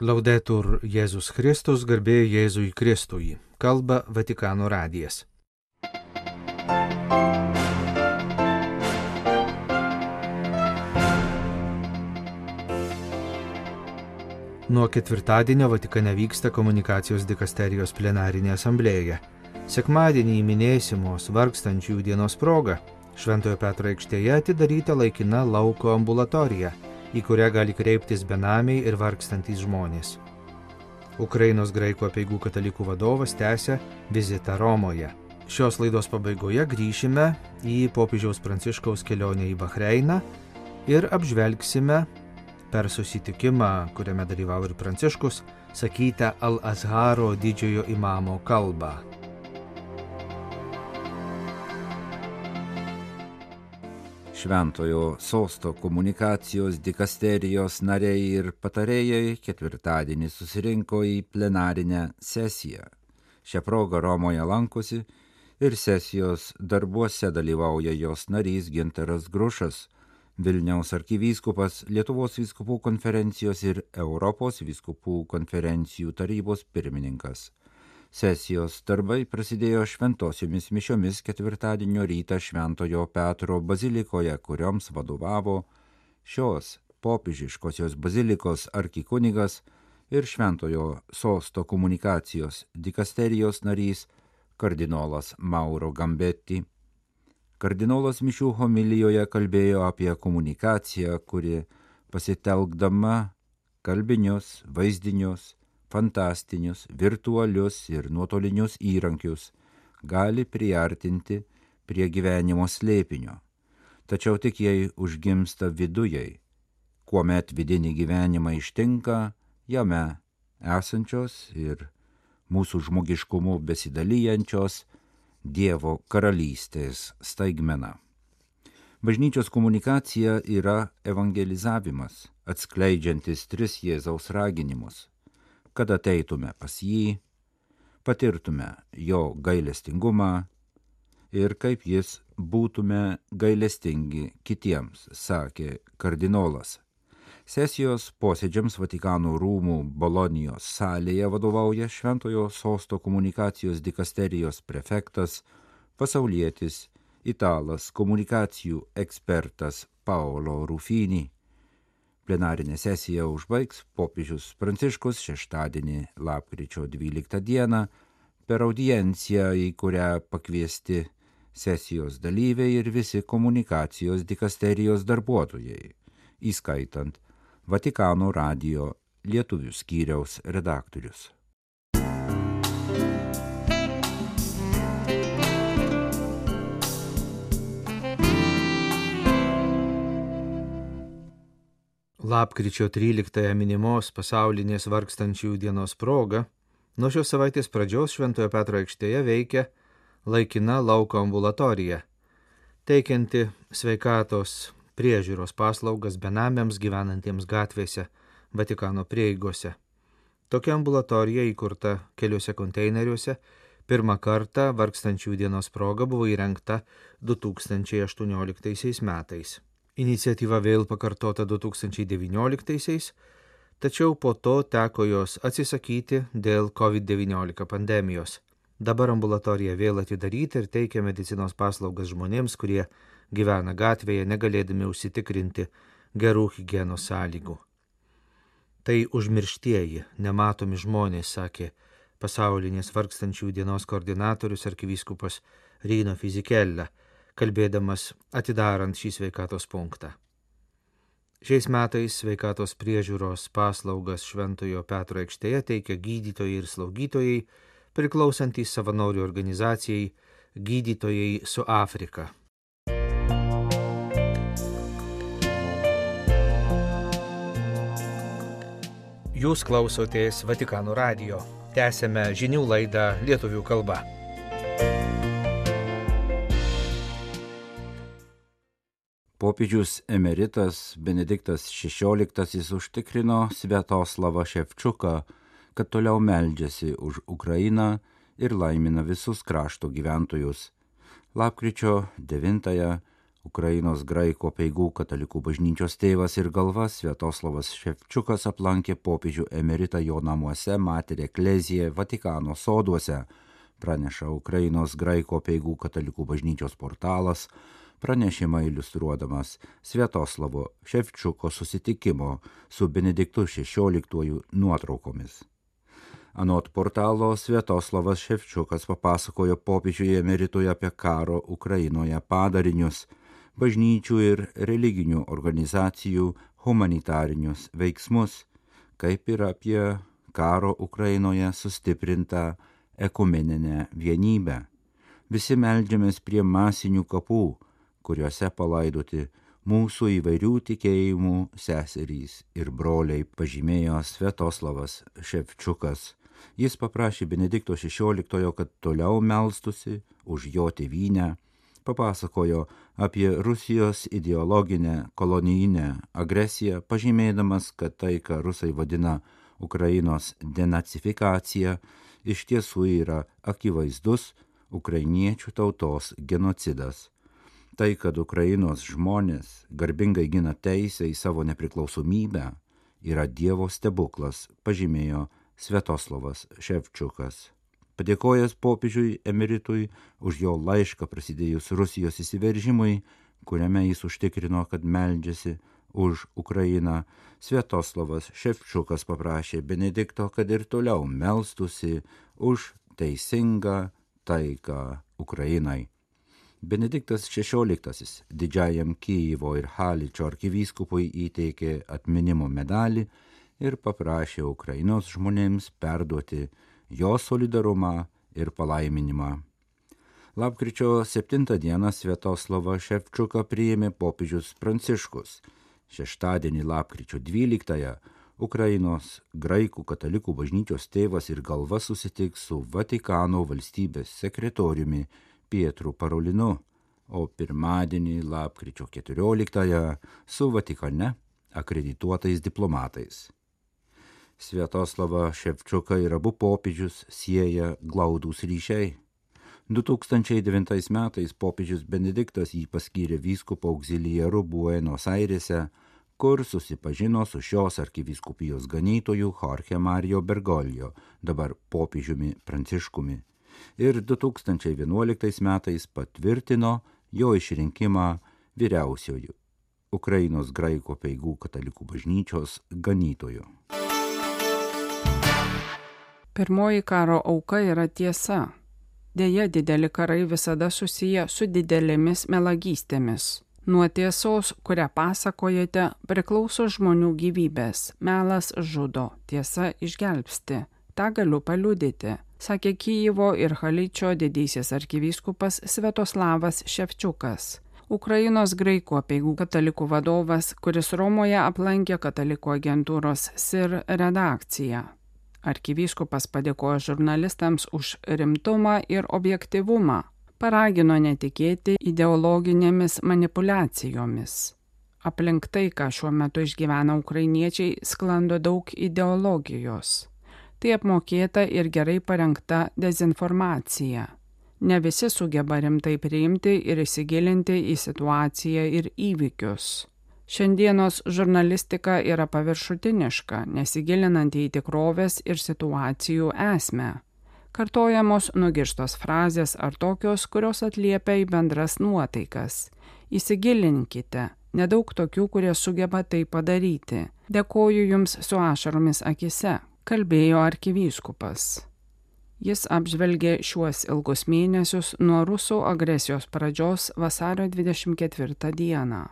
Laudetur Jėzus Kristus, garbė Jėzui Kristui. Kalba Vatikano radijas. Nuo ketvirtadienio Vatikane vyksta komunikacijos dikasterijos plenarinė asamblėja. Sekmadienį minėsimos vargstančiųjų dienos proga Šventojo Petro aikštėje atidaryta laikina lauko ambulatorija, į kurią gali kreiptis benamiai ir vargstantys žmonės. Ukrainos graikų apeigų katalikų vadovas tęsia vizitą Romoje. Šios laidos pabaigoje grįšime į popiežiaus Pranciškaus kelionę į Bahreiną ir apžvelgsime per susitikimą, kuriame dalyvavo ir Pranciškus, sakytą Al-Azharo didžiojo imamo kalbą. Šventojo sosto komunikacijos dikasterijos nariai ir patarėjai ketvirtadienį susirinko į plenarinę sesiją. Šią progą Romoje lankosi ir sesijos darbuose dalyvauja jos narys Gintaras Grušas, Vilniaus arkivyskupas, Lietuvos vyskupų konferencijos ir Europos vyskupų konferencijų tarybos pirmininkas. Sesijos darbai prasidėjo šventosiomis mišiomis ketvirtadienio rytą Šventojo Petro bazilikoje, kurioms vadovavo šios popiežiškosios bazilikos arkikunigas ir Šventojo sosto komunikacijos dikasterijos narys kardinolas Mauro Gambetti. Kardinolas mišių homilijoje kalbėjo apie komunikaciją, kuri pasitelkdama kalbinius, vaizdinius, fantastinius, virtualius ir nuotolinius įrankius gali priartinti prie gyvenimo slėpinio. Tačiau tik jei užgimsta vidujai, kuomet vidinį gyvenimą ištinka jame esančios ir mūsų žmogiškumu besidalyjančios Dievo karalystės staigmena. Bažnyčios komunikacija yra evangelizavimas, atskleidžiantis tris Jėzaus raginimus, kad ateitume pas jį, patirtume jo gailestingumą ir kaip jis būtume gailestingi kitiems, sakė kardinolas. Sesijos posėdžiams Vatikano rūmų Bolonijos salėje vadovauja Šventojo sosto komunikacijos dikasterijos prefektas, pasaulietis, italas, komunikacijų ekspertas Paolo Rufini. Plenarinę sesiją užbaigs popiežius Pranciškus šeštadienį lapkričio 12 dieną per audienciją, į kurią pakviesti sesijos dalyviai ir visi komunikacijos dikasterijos darbuotojai, įskaitant Vatikano radijo lietuvių skyriaus redaktorius. Lapkričio 13 minimos pasaulinės vargstančiųjų dienos proga nuo šios savaitės pradžios Šventojo Petro aikštėje veikia laikina lauko ambulatorija, teikianti sveikatos priežiūros paslaugas benamiams gyvenantiems gatvėse Vatikano prieigose. Tokia ambulatorija įkurta keliuose konteineriuose pirmą kartą vargstančiųjų dienos proga buvo įrengta 2018 metais. Iniciatyva vėl pakartota 2019, tačiau po to teko jos atsisakyti dėl COVID-19 pandemijos. Dabar ambulatorija vėl atidaryta ir teikia medicinos paslaugas žmonėms, kurie gyvena gatvėje, negalėdami užsitikrinti gerų higienos sąlygų. Tai užmirštieji, nematomi žmonės, sakė pasaulinės vargstančiųjų dienos koordinatorius arkivyskupas Rino Fisichella, kalbėdamas atidarant šį sveikatos punktą. Šiais metais sveikatos priežiūros paslaugas Šventojo Petro aikštėje teikia gydytojai ir slaugytojai, priklausantys savanorių organizacijai Gydytojai su Afrika. Jūs klausotės Vatikano radijo. Tęsėme žinių laidą lietuvių kalba. Popiežius emeritas Benediktas XVI užtikrino Sviatoslavą Ševčiuką, kad toliau meldžiasi už Ukrainą ir laimina visus krašto gyventojus. Lapkričio 9-ąją Ukrainos graikų apeigų katalikų bažnyčios tėvas ir galva Sviatoslavas Ševčiukas aplankė popiežių emeritą jo namuose Mater Ecclesiae Vatikano soduose, praneša Ukrainos graikų apeigų katalikų bažnyčios portalas, pranešimą iliustruodamas Sviatoslavo Ševčiuko susitikimo su Benediktu XVI nuotraukomis. Anot portalo Sviatoslavas Ševčiukas papasakojo popiežiui emeritui apie karo Ukrainoje padarinius, bažnyčių ir religinių organizacijų humanitarinius veiksmus, kaip ir apie karo Ukrainoje sustiprintą ekumeninę vienybę. Visi meldžiamės prie masinių kapų, kuriuose palaidoti mūsų įvairių tikėjimų seserys ir broliai, pažymėjo Sviatoslavas Ševčiukas. Jis paprašė Benedikto XVI, kad toliau melstusi už jo tėvynę, papasakojo apie Rusijos ideologinę kolonijinę agresiją, pažymėdamas, kad tai, ką rusai vadina Ukrainos denacifikacija, iš tiesų yra akivaizdus ukrainiečių tautos genocidas. Tai, kad Ukrainos žmonės garbingai gina teisę į savo nepriklausomybę, yra Dievo stebuklas, pažymėjo Sviatoslavas Ševčiukas. Padėkojęs popiežiui emeritui už jo laišką prasidėjus Rusijos įsiveržimui, kuriame jis užtikrino, kad meldžiasi už Ukrainą, Sviatoslavas Ševčiukas paprašė Benedikto, kad ir toliau melstusi už teisingą taiką Ukrainai. Benediktas XVI didžiajam Kijevo ir Haličo arkivyskupui įteikė atminimo medalį ir paprašė Ukrainos žmonėms perduoti jo solidarumą ir palaiminimą. Lapkričio 7 dieną Sviatoslavą Ševčiuką priėmė popiežius Pranciškus. Šeštadienį lapkričio 12 Ukrainos graikų katalikų bažnyčios tėvas ir galva susitiks su Vatikano valstybės sekretoriumi Pietru Parolinu, o pirmadienį lapkričio 14 su Vatikane akredituotais diplomatais. Sviatoslavą Ševčiuką ir abu popiežius sieja glaudūs ryšiai. 2009 metais popiežius Benediktas jį paskyrė vyskupo auxiliaru Buenos Airėse, kur susipažino su šios arkivyskupijos ganytoju Jorge Mario Bergoglio, dabar popiežiumi Pranciškumi, ir 2011 metais patvirtino jo išrinkimą vyriausiuoju Ukrainos graikų apeigų katalikų bažnyčios ganytoju. Pirmoji karo auka yra tiesa. Deja, dideli karai visada susiję su didelėmis melagystėmis. Nuo tiesos, kurią pasakojate, priklauso žmonių gyvybės. Melas žudo, tiesa išgelbsti. Ta galiu paliudyti, sakė Kijevo ir Haličo didysis arkivyskupas Sviatoslavas Ševčiukas, Ukrainos graikų apeigų katalikų vadovas, kuris Romoje aplankė katalikų agentūros SIR redakciją. Arkivyskupas padėkojo žurnalistams už rimtumą ir objektyvumą, paragino netikėti ideologinėmis manipulacijomis. Aplink tai, ką šiuo metu išgyvena ukrainiečiai, sklando daug ideologijos. Tai apmokėta ir gerai parengta dezinformacija. Ne visi sugeba rimtai priimti ir įsigilinti į situaciją ir įvykius. Šiandienos žurnalistika yra paviršutiniška, nesigilinanti į tikrovės ir situacijų esmę. Kartojamos nugirstos frazės ar tokios, kurios atliepia į bendras nuotaikas. Įsigilinkite, nedaug tokių, kurie sugeba tai padaryti. Dėkoju jums su ašaromis akise, kalbėjo arkivyskupas. Jis apžvelgė šiuos ilgus mėnesius nuo rusų agresijos pradžios vasario 24 dieną.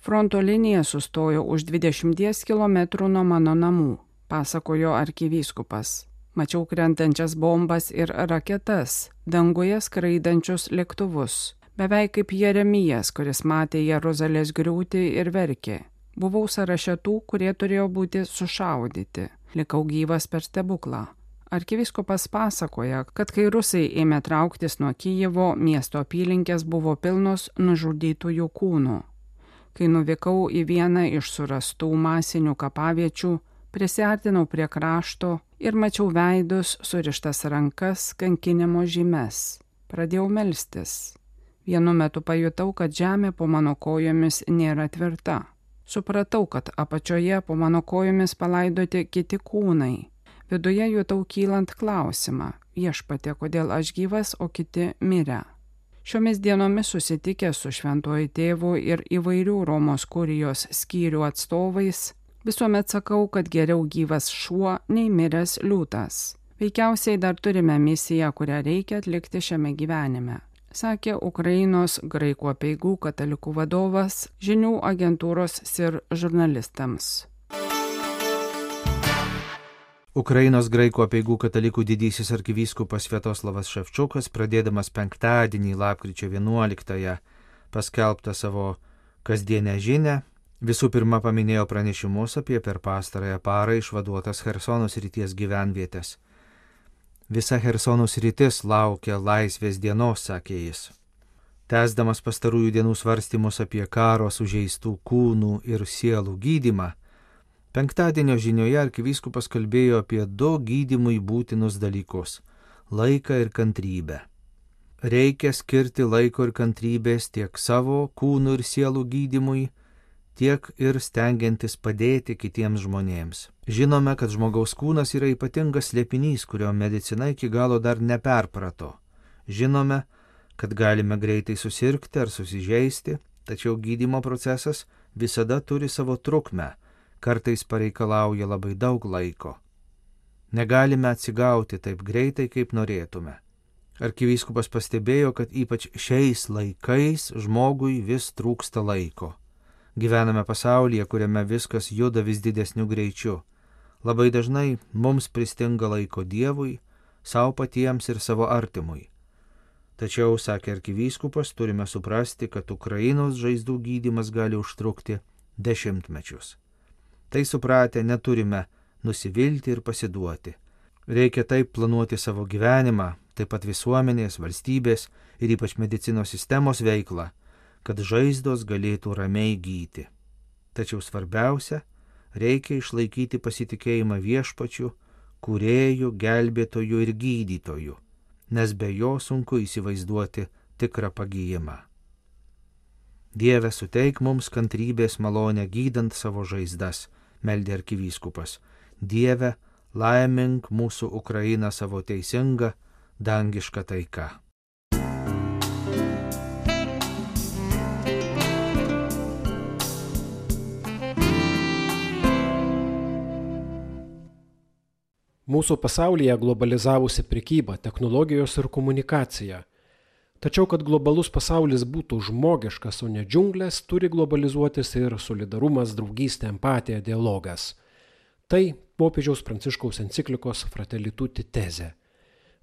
Fronto linija sustojo už 20 km nuo mano namų, pasakojo arkivyskupas. Mačiau krentančias bombas ir raketas, danguje skraidančius lėktuvus, beveik kaip Jeremijas, kuris matė Jeruzalės griūtį ir verkė. Buvau sąraše tų, kurie turėjo būti sušaudyti. Likau gyvas per stebuklą. Arkivyskupas pasakoja, kad kai rusai ėmė trauktis nuo Kijevo, miesto apylinkės buvo pilnos nužudytųjų kūnų. Kai nuvykau į vieną iš surastų masinių kapaviečių, prisiartinau prie krašto ir mačiau veidus, surištas rankas, kankinimo žymes. Pradėjau melstis. Vienu metu pajutau, kad žemė po mano kojomis nėra tvirta. Supratau, kad apačioje po mano kojomis palaidoti kiti kūnai. Viduje jutau kylant klausimą: Viešpatie, kodėl aš gyvas, o kiti mirę? Šiomis dienomis susitikęs su šventuoju tėvu ir įvairių Romos kurijos skyrių atstovais, visuomet sakau, kad geriau gyvas šuo nei miręs liūtas. Veikiausiai dar turime misiją, kurią reikia atlikti šiame gyvenime, sakė Ukrainos graikų apeigų katalikų vadovas žinių agentūros SIR žurnalistams. Ukrainos graikų apeigų katalikų didysis arkivyskupas Sviatoslavas Ševčiukas, pradėdamas penktadienį lapkričio 11-ąją paskelbtą savo kasdienę žinią, visų pirma paminėjo pranešimus apie per pastarąją parą išvaduotas Chersono srities gyvenvietės. Visa Chersono sritis laukia laisvės dienos, sakė jis. Tęsdamas pastarųjų dienų svarstymus apie karo sužeistų kūnų ir sielų gydymą, penktadienio žinioje arkivyskupas kalbėjo apie 2 gydymui būtinus dalykus – laiką ir kantrybę. Reikia skirti laiko ir kantrybės tiek savo kūnų ir sielų gydymui, tiek ir stengiantis padėti kitiems žmonėms. Žinome, kad žmogaus kūnas yra ypatingas slėpinys, kurio medicina iki galo dar neperprato. Žinome, kad galime greitai susirgti ar susižeisti, tačiau gydymo procesas visada turi savo trukmę, kartais pareikalauja labai daug laiko. Negalime atsigauti taip greitai, kaip norėtume. Arkivyskupas pastebėjo, kad ypač šiais laikais žmogui vis trūksta laiko. Gyvename pasaulyje, kuriame viskas juda vis didesniu greičiu. Labai dažnai mums pristinga laiko Dievui, savo patiems ir savo artimui. Tačiau, sakė arkivyskupas, turime suprasti, kad Ukrainos žaizdų gydymas gali užtrukti 10 mečius. Tai supratę neturime nusivilti ir pasiduoti. Reikia taip planuoti savo gyvenimą, taip pat visuomenės, valstybės ir ypač medicinos sistemos veiklą, kad žaizdos galėtų ramiai gyti. Tačiau svarbiausia, reikia išlaikyti pasitikėjimą Viešpačiu, kūrėju, gelbėtoju ir gydytoju, nes be jo sunku įsivaizduoti tikrą pagijimą. Dieve, suteik mums kantrybės malonę gydant savo žaizdas, meldė arkivyskupas. Dieve, laimink mūsų Ukrainą savo teisingą, dangišką taiką. Mūsų pasaulyje globalizavusi prekyba, technologijos ir komunikacija. Tačiau, kad globalus pasaulis būtų žmogiškas, o ne džiunglės, turi globalizuotis ir solidarumas, draugystė, empatija, dialogas. Tai popiežiaus Pranciškaus enciklikos Fratelli Tutti tezė.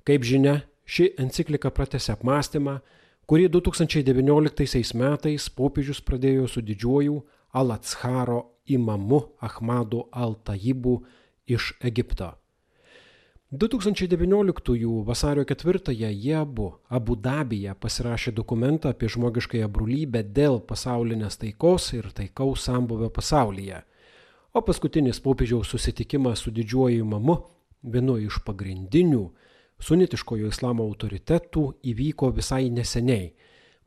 Kaip žinia, ši enciklika pratęsia apmąstymą, kurį 2019 metais popiežius pradėjo su didžiuoju Al-Azharo imamu Ahmadu Al-Tajibu iš Egipto. 2019 vasario 4-ąją jie Abu Dabyje pasirašė dokumentą apie žmogiškąją brolybę dėl pasaulinės taikos ir taikaus sambūvio pasaulyje. O paskutinis popiežiaus susitikimas su didžiuoju imamu, vienu iš pagrindinių sunitiškojo islamo autoritetų, įvyko visai neseniai,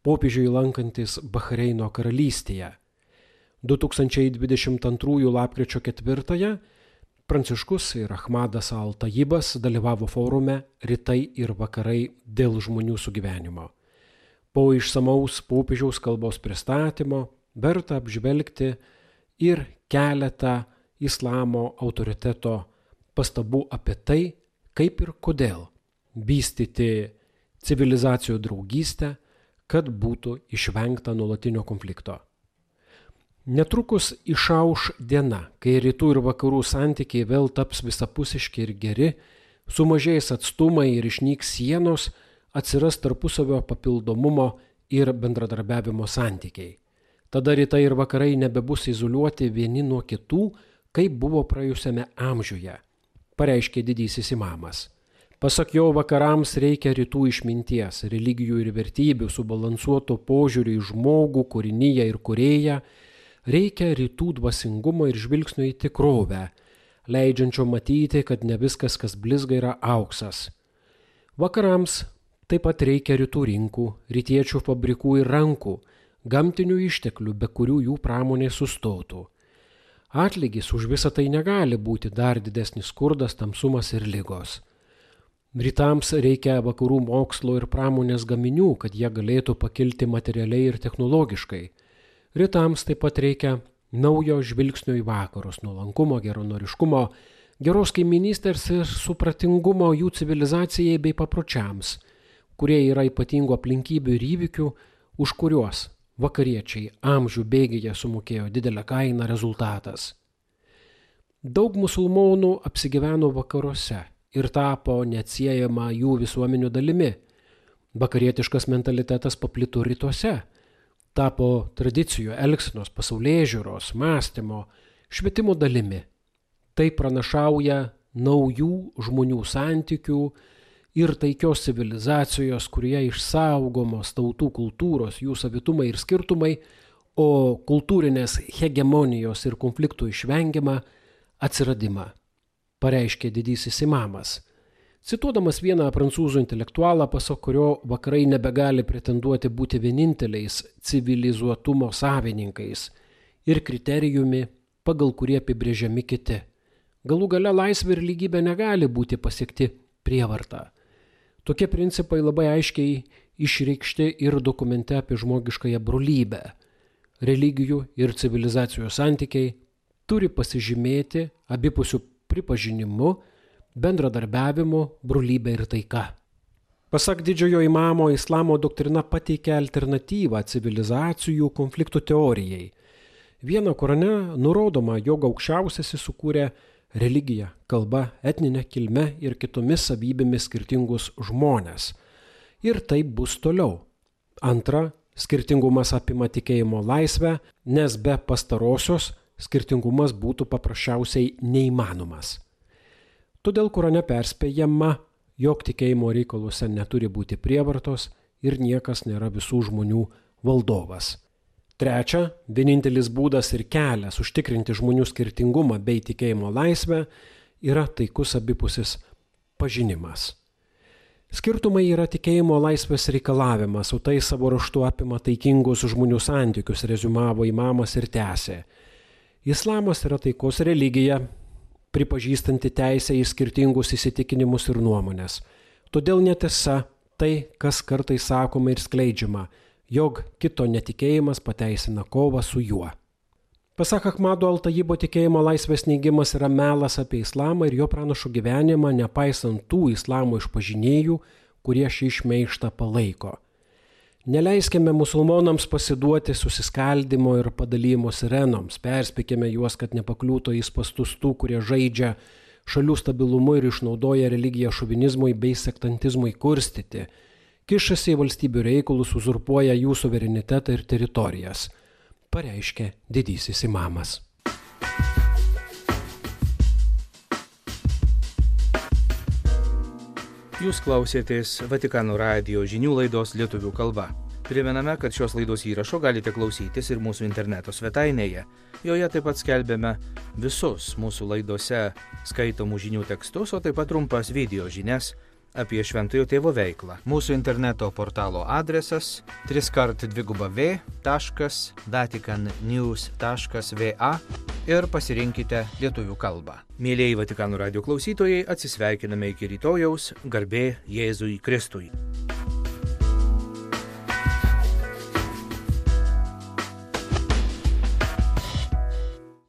popiežiui lankantis Bahreino karalystėje. 2022 lapkričio 4-ąją Pranciškus ir Ahmadas Al-Tajibas dalyvavo forume Rytai ir vakarai dėl žmonių sugyvenimo. Po išsamaus popiežiaus kalbos pristatymo verta apžvelgti ir keletą islamo autoriteto pastabų apie tai, kaip ir kodėl vystyti civilizacijų draugystę, kad būtų išvengta nuolatinio konflikto. Netrukus išauš diena, kai rytų ir vakarų santykiai vėl taps visapusiški ir geri, sumažės atstumai ir išnyks sienos, atsiras tarpusavio papildomumo ir bendradarbiavimo santykiai. Tada rytai ir vakarai nebebus izoliuoti vieni nuo kitų, kaip buvo praėjusiame amžiuje, pareiškė didysis imamas. Pasak jo, vakarams reikia rytų išminties, religijų ir vertybių, subalansuoto požiūrį į žmogų, kūriniją ir kūrėją, reikia rytų dvasingumo ir žvilgsnio į tikrovę, leidžiančio matyti, kad ne viskas, kas blizga, yra auksas. Vakarams Taip pat reikia rytų rinkų, rytiečių fabrikų ir rankų, gamtinių išteklių, be kurių jų pramonė sustotų. Atlygis už visą tai negali būti dar didesnis skurdas, tamsumas ir ligos. Rytams reikia vakarų mokslo ir pramonės gaminių, kad jie galėtų pakilti materialiai ir technologiškai. Rytams taip pat reikia naujo žvilgsnio į vakarus, nuolankumo, geranoriškumo, geros kaiminystės ir supratingumo jų civilizacijai bei papročiams, kurie yra ypatingų aplinkybių ir įvykių, už kuriuos vakariečiai amžių bėgyje sumokėjo didelę kainą rezultatas. Daug musulmonų apsigyveno vakaruose ir tapo neatsiejama jų visuomenių dalimi. Vakarietiškas mentalitetas paplito rytuose, tapo tradicijų, elgsenos, pasaulėžiūros, mąstymo, švietimo dalimi. Tai pranašauja naujų žmonių santykių ir taikios civilizacijos, kurie išsaugomos tautų kultūros, jų savitumai ir skirtumai, o kultūrinės hegemonijos ir konfliktų išvengiamą atsiradimą, pareiškė didysis imamas. Cituodamas vieną prancūzų intelektualą, pasak kurio vakarai nebegali pretenduoti būti vieninteliais civilizuotumo savininkais ir kriterijumi, pagal kurį apibrėžiami kiti. Galų gale laisvė ir lygybė negali būti pasiekti prievarta. Tokie principai labai aiškiai išreikšti ir dokumente apie žmogiškąją brolybę. Religijų ir civilizacijos santykiai turi pasižymėti abipusių pripažinimu, bendradarbiavimu, brolybė ir taika. Pasak didžiojo imamo, islamo doktrina pateikia alternatyvą civilizacijų konfliktų teorijai. Vieno Korane nurodoma, jog aukščiausiasis sukūrė religiją, kalba, etninę kilmę ir kitomis savybėmis skirtingus žmones. Ir taip bus toliau. Antra, skirtingumas apima tikėjimo laisvę, nes be pastarosios skirtingumas būtų paprasčiausiai neįmanomas. Todėl Korane perspėjama, jog tikėjimo reikaluose neturi būti prievartos ir niekas nėra visų žmonių valdovas. Trečia, vienintelis būdas ir kelias užtikrinti žmonių skirtingumą bei tikėjimo laisvę yra taikus abipusis pažinimas. Skirtumai yra tikėjimo laisvės reikalavimas, o tai savo ruožtu apima taikingus žmonių santykius, reziumavo imamas ir tęsė. Islamas yra taikos religija, pripažįstanti teisę į skirtingus įsitikinimus ir nuomonės. Todėl netiesa tai, kas kartais sakoma ir skleidžiama, jog kito netikėjimas pateisina kovą su juo. Pasak Ahmado Al-Tajibo, tikėjimo laisvės neigimas yra melas apie islamą ir jo pranašų gyvenimą, nepaisant tų islamo išpažinėjų, kurie šį šmeižtą palaiko. Neleiskime musulmonams pasiduoti susiskaldimo ir padalymo sirenoms, perspėkime juos, kad nepakliūtų į spastus tų, kurie žaidžia šalių stabilumu ir išnaudoja religiją šovinizmui bei sektantizmui kurstyti, kišasi į valstybių reikalus, uzurpuoja jų suverenitetą ir teritorijas, pareiškė didysis imamas. Jūs klausėtės Vatikano radijo žinių laidos lietuvių kalba. Primename, kad šios laidos įrašo galite klausytis ir mūsų interneto svetainėje. Joje taip pat skelbėme visus mūsų laidose skaitomų žinių tekstus, o taip pat trumpas video žinias apie Šventojo Tėvo veiklą. Mūsų interneto portalo adresas www.vaticannews.va ir pasirinkite lietuvių kalbą. Mėlieji Vatikano radijo klausytojai, atsisveikiname iki rytojaus, garbė Jėzui Kristui.